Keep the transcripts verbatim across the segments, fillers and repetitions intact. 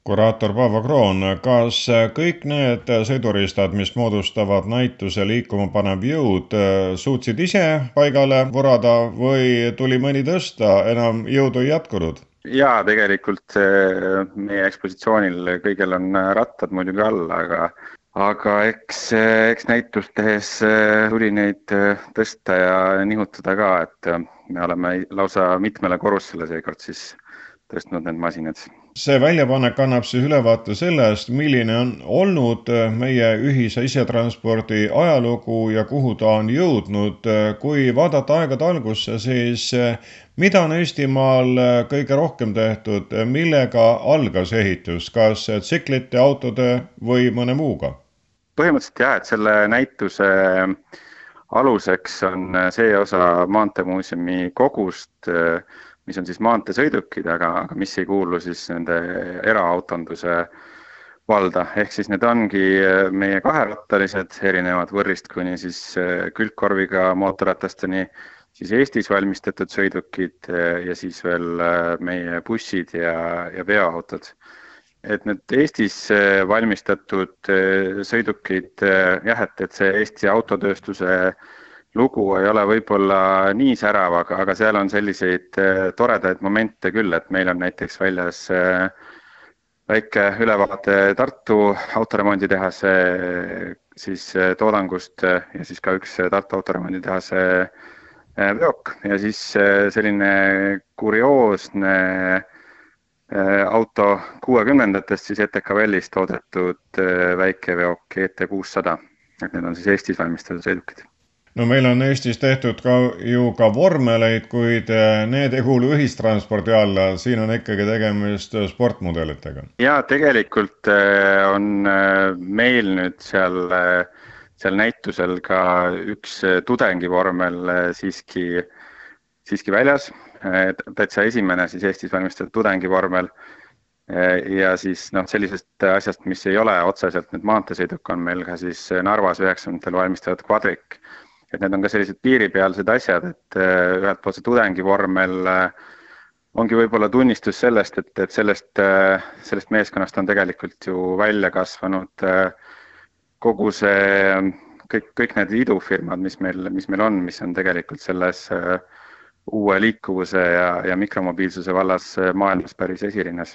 Kuraator Paavo Kroon, kas kõik need sõiduristad, mis moodustavad näituse liikuma panev jõud, suutsid ise paigale vurada või tuli mõni tõsta, enam jõudu ei jätkunud? Jaa, tegelikult meie ekspositsioonil kõigil on rattad muidugi all, aga, aga eks, eks näitust tehes tuli neid tõsta ja nihutada ka, et me oleme lausa mitmele korrusele seekord siis tõstnud need masinad. See väljapanek annab siis ülevaate sellest, milline on olnud meie ühise isetranspordi ajalugu ja kuhu ta on jõudnud. Kui vaadata aegade algusse, siis mida on Eestimaal kõige rohkem tehtud, millega algas ehitus, kas tsiklite, autode või mõne muuga? Põhimõtteliselt jah, et selle näituse aluseks on see osa Maanteemuuseumi kogust, mis on siis maanteesõidukid, aga, aga mis ei kuulu siis nende eraautonduse valda. Ehk siis need ongi meie kaherattalised, erinevad võrrist kuni siis külgkorviga mootorratasteni, siis Eestis valmistatud sõidukid ja siis veel meie bussid ja, ja veoautod. Et need Eestis valmistatud sõidukid, jah, et, et see Eesti autotööstuse lugu ei ole võib-olla nii särav, aga, aga seal on selliseid toredaid momente küll, et meil on näiteks väljas väike ülevaate Tartu autoremonditehase siis toodangust ja siis ka üks Tartu autoremonditehase veok ja siis selline kurioosne auto kuuekümnendatest siis E T K Vellis toodetud väike veok E T kuussada, et need on siis Eestis valmistatud sõidukid. No meil on Eestis tehtud ka ju ka vormeleid, kuid need ei kuulu ühistranspordi alla, siin on ikkagi tegemist sportmudelitega. Ja tegelikult on meil nüüd seal, seal näitusel ka üks tudengivormel siiski, siiski väljas, täitsa esimene siis Eestis valmistatud tudengivormel ja siis noh, sellisest asjast, mis ei ole otseselt nüüd maanteesõiduk, on meil ka siis Narvas üheksakümnendatel valmistatud kvadrik. Et need on ka sellised piiripealsed asjad, et ühelt poolt see tudengivormel ongi võib-olla tunnistus sellest, et, et sellest, sellest meeskonnast on tegelikult ju välja kasvanud kogu see, kõik, kõik need idufirmad, mis meil, mis meil on, mis on tegelikult selles uue liikuvuse ja, ja mikromobiilsuse vallas maailmas päris esirinnas.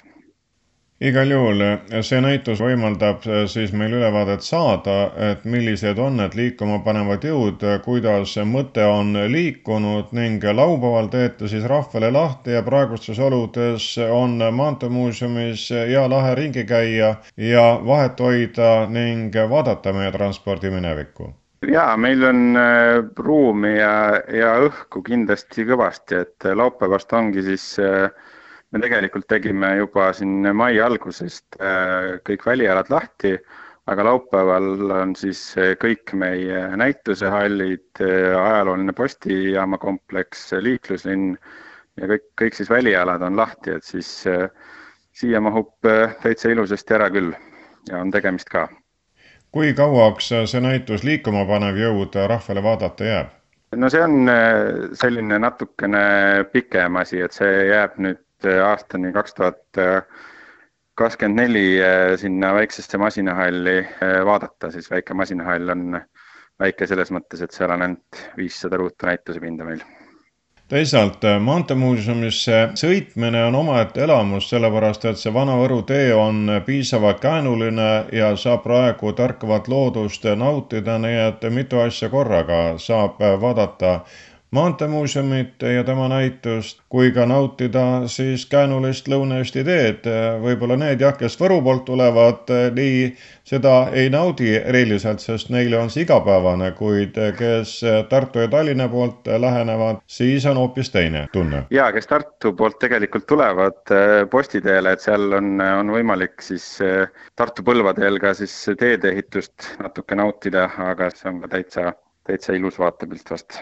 Igal juhul see näitus võimaldab siis meil ülevaadet saada, et millised on need liikuma panevad jõud, kuidas mõte on liikunud ning laupäeval teete siis rahvale lahti ja praegustes oludes on Maanteemuuseumis hea lahe ringi käia ja vahet hoida ning vaadata meie transpordi minevikku. Jaa, meil on ruumi ja, ja õhku kindlasti kõvasti, et laupäevast ongi siis me tegelikult tegime juba siin mai algusest kõik välialad lahti, aga laupäeval on siis kõik meie näitusehallid, ajalooline postijaama kompleks, liikluslinn ja kõik, kõik siis välialad on lahti, et siis siia mahub täitsa ilusasti ära küll ja on tegemist ka. Kui kauaks see näitus liikuma panev jõud rahvale vaadata jääb? No see on selline natukene pikem asi, et see jääb nüüd aastani kaks tuhat kakskümmend neli sinna väiksesse masinahalli vaadata, siis väike masinahall on väike selles mõttes, et seal on ainult viissada ruutu näituse pinda meil. Teisalt, Maanteemuuseumisse sõitmine on omaette elamus, sellepärast et see Vana-Võru tee on piisavalt käänuline ja saab praegu tärkavat loodust nautida, nii et mitu asja korraga saab vaadata Maanteemuuseumit ja tema näitust, kui ka nautida siis käänulist Lõuna-Eesti teed. Võib-olla need jah, kes Võru poolt tulevad, nii seda ei naudi eriliselt, sest neile on see igapäevane, kuid kes Tartu ja Tallinna poolt lähenevad, siis on hoopis teine tunne. Ja, kes Tartu poolt tegelikult tulevad postiteele, et seal on, on võimalik siis Tartu Põlvadeel ka siis teedeehitust natuke nautida, aga see on ka täitsa, täitsa ilus vaatepilt vast.